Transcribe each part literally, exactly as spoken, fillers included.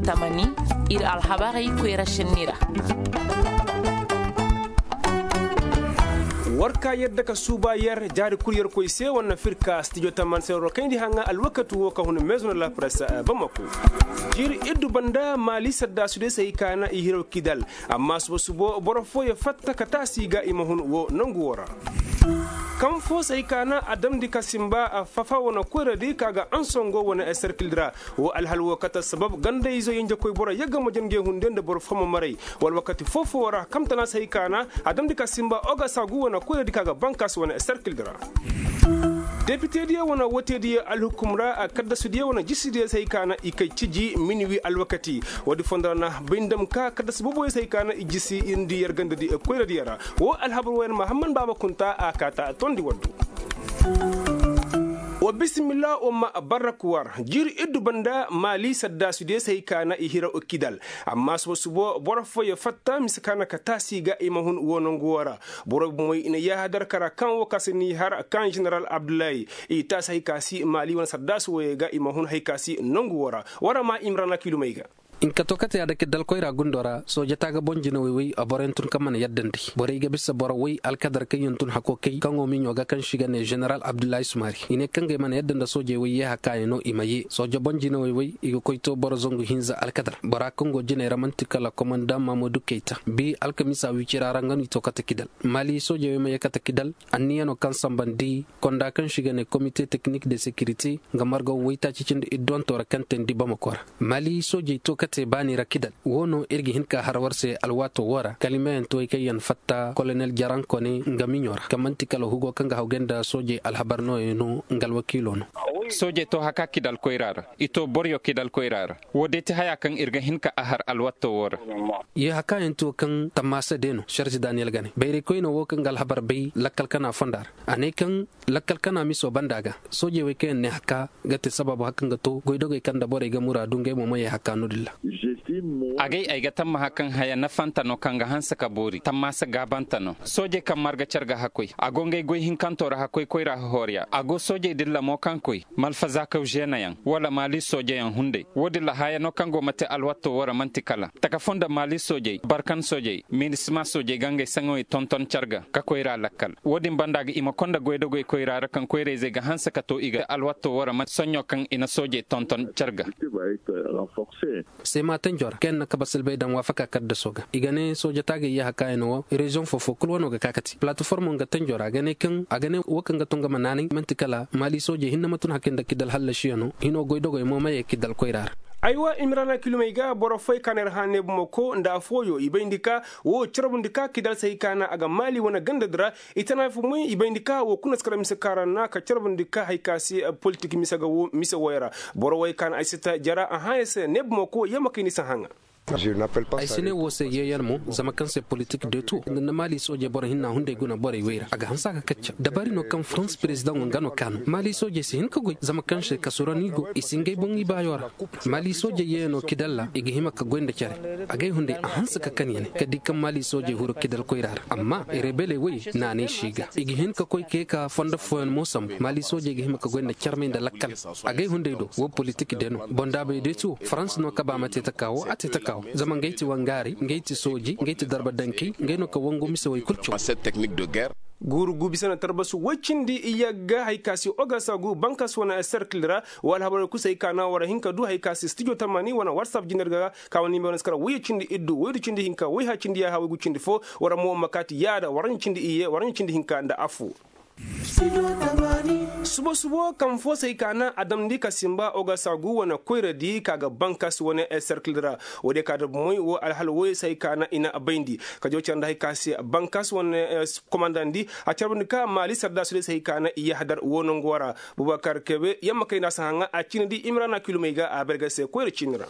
Tamani, ir alhabarey koyra šenni ra. War ka yadda ka suuba yer jaari kul yerkoy se wane firka stijo tamani se roro kayndi haŋa alwakati wo ka hun meezo na la presse bamako. Jiiri iddu banda maali saddaasudiyo se hay ka na i hiraw kidal. Amma suba subo boro fooyo fatta ka taasi ga i ma hun wo nangu wo ra. Kaŋ fo se hay ka na a damndi ka simba fafa wane koyradi ka ga ansongo wane serkildi ra. Wo alhal wo kate sabab gandayzo yenjekoy boro yagga ma jange hunde nda boro fo ma maray. Wala wakati foo-foo ra kamtana se hay ka na a damndi ka simba oga saagu wane koyradi ka ga bankas wane serkildi ra. Depitediyo wane wootediyo alhukum ra kaddasudiyo wane jisidiyo se hay ka na i kay ciji minuwi alwakati. Woodi fondo ra na bay ndam ka kaddasi booboyo se hay ka na i jisi indi yer gandadi koyradiyo ra. Wo alhabar woyan mahamman baaba kunta a kaata tondi waddu. Wa bisimilla umma barrak war jiiri iddu banda maali saddaasudiyo se hay ka na i hira kidal. Amma subo subo boro fooyo fatta mise ka na ka taasi ga i ma hun wo nangu wo ra. Boro bomoy i na yaahadar kara kaŋ wo ka se n'i har kaŋ ženeral abdullahi i taasi hay ka si maali wane saddaasu woyey ga i ma hun hay ka si nangu wo ra. War ma imrana kilumey ga. Hinka to kate ya dake dalkoyra gundo ra sooje taaga boŋ jinawey woy a boroyaŋ tun kaŋ mana yaddandi borey ga bisa boro woy alkadar kaŋ yaŋ tun hako kay kaŋo miɲo ga kaŋ se i ga ne ženeral abdullahi sumari i ne kaŋ ga ay mana yadda nda soojey woy yeeha kaŋ a no i ma yee sooje boŋ jinawey woy i ga koy to boro zangu hinza alkadar bora kaŋ go jiney ra man'ti kala komandaŋ mahamudu kayta bi alkamiisa wicira ra nga no i to kate kidal maali soojey woy ma yee kate kidal anniyanoo kaŋ sambandi konda kaŋ se i ga ne komite teknik de sekirite nga margaw waytaaci cindi idduwantoo ra kaŋ teendi bamako ra. Maali soojey to ka te baani ra kidal woo no ir ga hin ka har war se alwaatoo woo ra kalimayaŋ to ay kaŋ yaŋ fatta kolonel jaranko ne nga miɲo ra kaŋ man'ti kala hugo kaŋ ga hawgay nda soojey alhabar nooyaŋ no nga alwakiiloo no. Soojey to haka kidal koyra ra. I to boryo kidal koyra ra. Woo day ti hayaa kaŋ ir ga hin ka a har alwaatoo woo ra. Yee hakayaŋ to kaŋ tammaasa day no šarži daniyel ga ne bayraykoynoo woo kaŋ ga alhabar bay lakkal kana fonda ra. A ne kaŋ lakkal kana miso banda ga soojey wey kaŋ yaŋ ne haka ga te sabaabu haka nga to goydogey kaŋ nda borey ga muraadu ngey mo ma yee haka no-din ra. Agay ay ga tammaha kaŋ haya nafanta no kaŋ ga hanse ka boori tammaasa gaabanta no soojey kaŋ marga car ga hakoy a go ngey goy hinkanto ra hakoy koyra hohoriya a go soojey din ra mo kaŋ koy malfazaakaw žeenayaŋ wala maali soojeyaŋ hunday woo din ra haya no kaŋ go ma te alwatto woo ra man'ti kala taka foo nda maali soojey barkan soojey minisima soojey ga ngey saŋawey tonton car ga ka koyra lakkal woo din banda ga i ma konda goydogey koyra ra kaŋ koyrayzey ga hanse ka to i ga alwatto woo ra man'ti soɲɲo kaŋ i na soojey tonton car ga. Seema tanjo ra kaŋ yaŋ na kaba silbay daŋ waafaka kaddasoo ga i ga ne sooja taagay yee hakaayano woo reziyoŋ foo-foo kul wanoo ga ka kati palataformo nga tanjo ra a ga ne kaŋ a ga ne woo kaŋ ga tun ga ma naanay man'ti kala maali soojey hinne ma tun hakay nda kidal hallasiyano hinoo goydogey mo ma yee kidal koyra ra. Aywa imirana kilomey ga boro fooyey ka na ir hã neebumako nda afooyo i bayndi ka woo carbundi ka kidal se hay ka na a ga maali wane gandadi ra. I tana fo moy i bayndi ka woo kuna si kara mise ka ra na ka carbundi ka hay ka se politik mise wooyo ra. Boro wooyo ka na ay si ta jara a hãya se neebumako yee ma kay ni si hãŋa. Ay si ne woo se yeeyan mo zama kaŋ se politik deeto nda na maali soojey boro hinna hunday guna borey wey ra a ga hanse a ga kacca dabari no kaŋ farans perezidaŋo nga no kaanu maali soojey si hin ka goy zama kaŋ se kasurani go i si ngey boŋ ibaayoo ra. Maali soojey yeeyanoo kidal ra i ga hima ka goy nda care. Agay hunday a hanse ka kan ya ne ka di kaŋ maali soojey huru kidal koyra ra amma rebeley wey naanay si ga i ga hin ka koy ka yee ka fondo fooyaŋ mo sambu maali soojey ga hima ka goy nda carmey nda lakkal. Agay hunday do woo politik day no bondaabey day ti woo farans no kaba ma te taka woo a te taka woo zama ngey ti wangaaray ngey ti sooji ngey ti darba dankey ngey no ka wangu mise wey kul caw. Guuru gu bisa na tarbasu woy cindi iyagga hay ka si ogasagu bankas wane serkil ra woo alhabarey kul se hay ka na war hin ka du hay ka si stijo tamani wane warsap jiner ga ka wane nimero na si kara woy cindi iddu woy du cindi hinka woy ha cindi yaaha woy gu cindi foo. War mo ma kaati yaada war ɲa cindi iyye war ɲa cindi hinka nda affoo. Subo subo kaŋ foo se hay ka na a damndi ka simba ogasagu wane koyradi ka ga bankas wane serkil ra. Woodiyo ka da bomoy woo alhal wooyo se hay ka na i na a bayndi ka jaw care nda hay ka se bankas wane komandandi a carbandi ka maali sardaasudiyo se hay ka na i yahadar woo nangu woo ra. Bubakar kebe yamma kay na si haŋa a ciinadi imrana kilumey ga a berge se koyra ciini ra.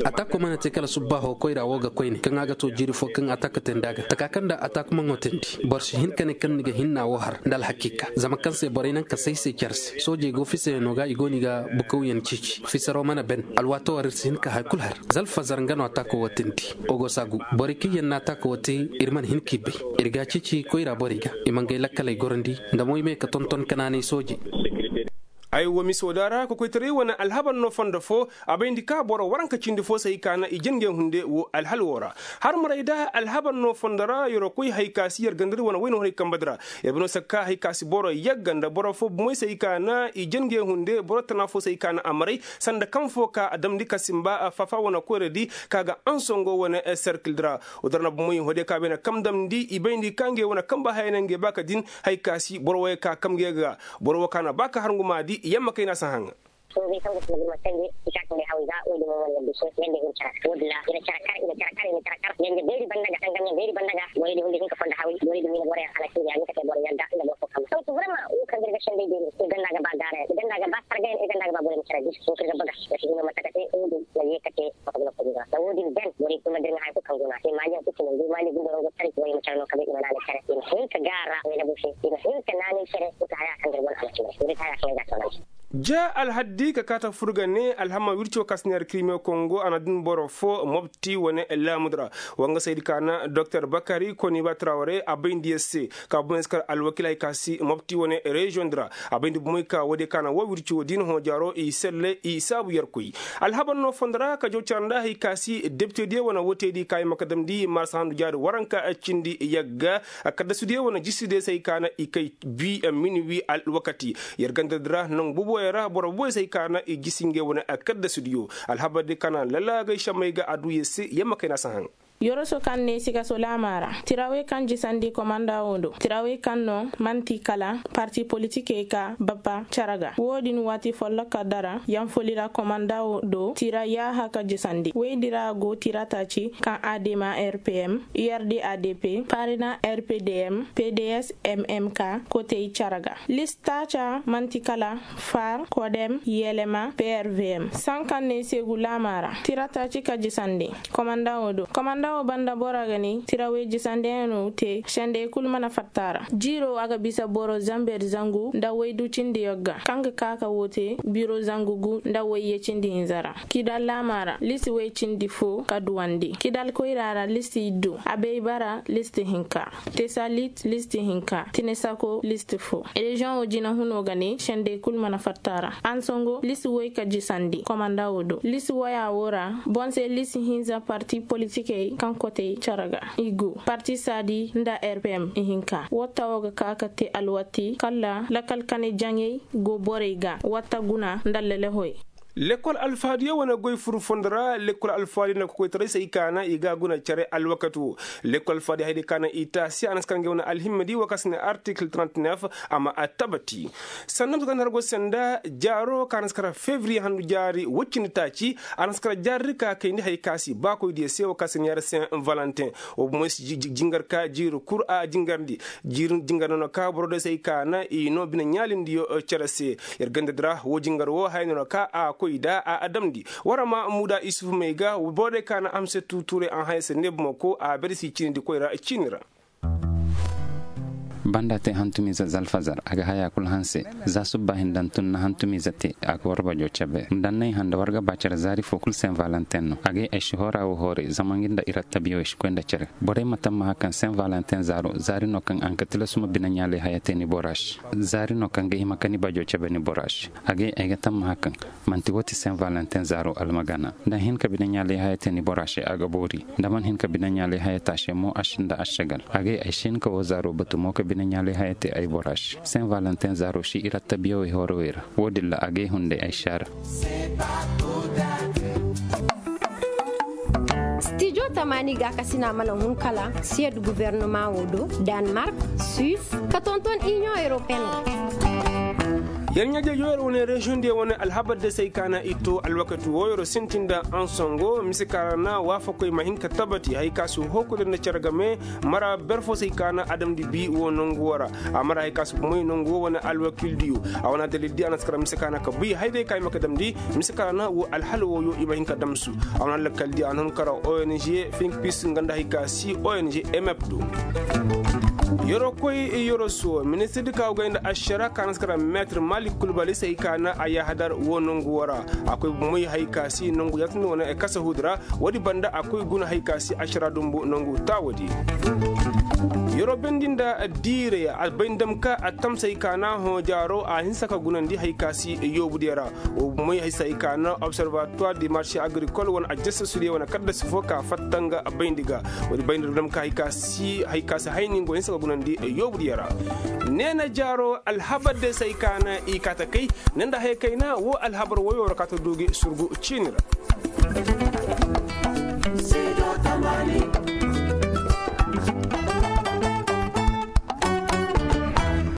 Ataako mana te kala subbaaho koyra woo ga koyne kaŋ a ga too jiiri foo kaŋ ataaka teendi a ga taka kaŋ nda ataakumaŋo teendi boro si hin ka ne kaŋ ni ga hinna woo har nda alhakiika zama kaŋ se borey naŋ ka say se care se soojey go fisayanoo ga i go no i ga bukawyaŋ ceeci fisaroo mana ben. Alwaatoo war ir si hin ka haya kul har zalfazar nga no ataako woo teendi. Ogosagu borey kaŋ yaŋ na ataako woo te ir mana hin k'i bay. Ir g'a ceeci koyra borey ga i ma ngey lakkaley gorandi nda mo i ma ye ka tonton kanaanay soojey. Ay wo miso da ra kokoytaray wane alhabar no fondo fo. A bayndi ka boro waranka cindi fo se hay ka na i jangey hunde wo alhal wo ra. Har maray da alhabar no fondo ra yer koy hay ka si yer gandari wane wayna hunay kamba di ra. Yer bino sakka hay ka si boro yagga nda boro fo bumey se hay ka na i jangey hunde boro tana fo se hay ka na a maray sanda kaŋ fo ka a damndi ka simba fafa wane koyra di ka ga ansongo wane serkil di ra. Wo da ra na bumey hode ka bay na kam damndi i bayndi ka ngey wane kamba haya na ngey ba ka din. Hay ka si boro wo ya ka kam ngey ga boro wo ka na ba ka harnguma di yamma kay na si haŋ. Soobay kaŋ ga sinda burma sange i ka sinda haway ga woy din mo wane yadda se yadda hin cara woy din ra i na cara kar i na cara kar i na cara kar yadda beeri banda ga sangam yaŋ beeri banda ga borey din hunday hinka fondo haway borey din wina boro yaŋ hala sinda yaŋ ni ka te boro yadda nda boro fo kamma donc vraiment wo kaŋ ga ir ga senday beeri i ganda ga ba gaara yaŋ i ganda ga ba sarga yaŋ i ganda ga ba borey ma cara di wo kaŋ ir ga baga ya si hino mate ka te wo din na ye ka te. Wo din ben borey kulu ma dir ŋa haya kulu kaŋ go no a te maali yaŋ kulu si no go maali gumba yaŋ go tari borey ma care no ka bay i ma naanay care i ma hin ka gaara wayna bose i ma hin ka naanay care wo ti haya kaŋ dir wane a ma care wo din ti haya kaŋ ay ga toonandi. Ja alhaddi ka kaata fur ga ne alhama wirci wo ka si neera kirime kongo a na din boro fo mobti wane laamudi ra. Wangasaydi ka na doktor bakari koniba traware a bayndi yer se ka boŋ yer si kar alwakil hay ka si mobti wane reziyoŋ di ra. A bayndi bomoy ka woodiyo ka na wo wirci wo diina hõ jaaro i selle i saabu yerkoy. Alhabar no fondo ra ka jaw cara nda hay ka si depitediyo wane wootediyo ka i ma ka damndi marsa handu jaari waranka cindi yagga. Kaddasudiyo wane jisidiyo se hay ka na i kay bi minuwi alwakati. Yer ganda di ra nangu boboyo ra boro boboyo se hay ka na i jisi ngey wane kaddasudiyo. Alhabar di ka na lalaagay šammay ga a du yer se yer ma kayna si haŋ. Yoroso kaŋ ne sikaso laama ra tirawey kaŋ jisandi komanda wo do tirawey kaŋ no man'ti kala parti politikey ka bapa cere ga wo-din waati folloka dara yaŋ foli ra komanda wo do tira yaaha ka jisandi woydi ra go tira taaci kaŋ a deema rpm urd adp parina rpdm pds mmk kotey cere ga list taaca man'ti kala far kodem yelema prvm sankaŋ ne seegu laama ra tira taaci ka jisandi. Komanda wo do komanda wo banda bora ga ne tirawey jisandiyaŋo te sendey kulu mana fatta ra jiiro a ga bisa boro zamber zangu nda waydu cindi yagga kaŋ ga ka ka wo te biro zangu gu nda wayye cindi hinza ra kidal laama ra lisi way cindi fo ka duwandi kidal koyra ra lisi iddu abey bara lisi hinka tesalit list hinka tinesako list fo reziyoŋo jinahuno ga ne sendey kulu mana fatta ra ansongo list woy ka jisandi komanda wo do list woya wo ra boŋ se list hinza parti politikey kaŋ kotey cere ga i gu parti saadi nda rpm ihinka watta wo ga ka ka te alwati kala lakal kane jaŋey go borey ga watta guna nda lelehoy. Lekkol alfaadiyo wane goy furu fondo ra lekkol alfaadiyo na kokoytaray se i kaana i ga a guna cere alwakati wo. Lekkol alfaadiyo haydi kaana i taasi a na si kar ngey wane alhimmadi wo kaŋ si ne artikil trente-neuf. A ma a tabati sannan si kar nda har go se nda jaaro kaŋ a na si kar fevriye handu jaari woy cindi taaci. A na si kar jaari di ka kayndi hay ka si baakoydiyo se wo kaŋ si ne yar saint valentin. Wo bomoy si jingar ka jiiri kul a jingarndi. Jiiri jingar no na ka boro day se ay ka na i no bine ɲaalindiyo cere se. Yer ganda di ra wo jingar wo haya no na ka a koy nda a damndi. War ma muuda isufu may ga boro day ka na amse tuutuuray a haya se ne bumako a bere si ciinindi koy ra ciini ra. Banda te hantumiize zalfazar a ga haya kul hanse. Za subba hinda ntunna hantumiize te a ga war bajo cebe nda nay handa war ga ba cere zaari fo kul saint valentin no a ga ay ay si hora wo hooray zama ngi nda irattabiyo ay si koy nda cere. Borey ma tammaha kaŋ saint valentin zaaro zaari no kaŋ a nka tilasuma bine ɲaalay haya te ni bora se. Zaari no kaŋ ga hima ka ni bajo cebe ni bora se. A ga ay ga tammaha kaŋ manti wo ti saint valentin zaaro almagana. Da ni hin ka bine ɲaalay haya te ni bora se a ga boori. Da man hin ka bine ɲaalay haya te a se mo a sinda ašagal a ga ay si hin ka wo zaaro batu mo ka bine ɲaalay haya te ay bora se saint valentin zaaro si irattabiyo ay horo ay ra. Wo- din ra a ga ay hunday ay si a ra. Stijo tamaani gaakasina mana hun kala siyed gubernama wo do danmark, suis ka tonton inion europeen. Yer ɲaaje yo yer wane reziyoŋ diyo wane alhabar de se ay ka na i to alwakati wo yer sintin nda ansongo mise ka ra na waafakoy ma hin ka tabati hay ka si hooku nda cere game. Mara ber fo se ay ka na adamdi bi wo nangu wo ra. A mara hay ka si bumey nangu wo wane alwakildiyo. A wane adalildi a na si kara mise ka na ka buy hay day ka i ma ka damndi mise ka ra na wo alhal wo yo i ma hin ka damsu. A wane alwakildi a na hun kara ong finkpis nga nda hay ka si ong mep do. Yero koy yero so ministir di ka wugay nda ašara ka na si kara meetir malik kulbali se hay ka na a yahadar wo nangu wo ra. A koy bumey hay ka si nangu yatindi wane kasahudi ra. Woodi banda a koy guna hay ka si ašara dumbu nangu taawodi. Yeroo bayndi nda diirey a bayndi dam ka a tamsey ka na hõ jaaro a hinsa ka gunandi hay ka si yoobudiyo ra. Wo moy hay se hay ka na observatoire du marché agricole wane ajjasasudiyo wane kaddasi fo ka fatta nga bayndi ga. Woodi bayndi dam ka hay ka si hay ka si hayni nga wo hinsa ka gunandi yoobudiyo ra. Neena jaaro alhabar day se hay ka na i kaata kay ne nda haya kayna wo alhabar woyoo ra ka ta du gi surgu ciini ra.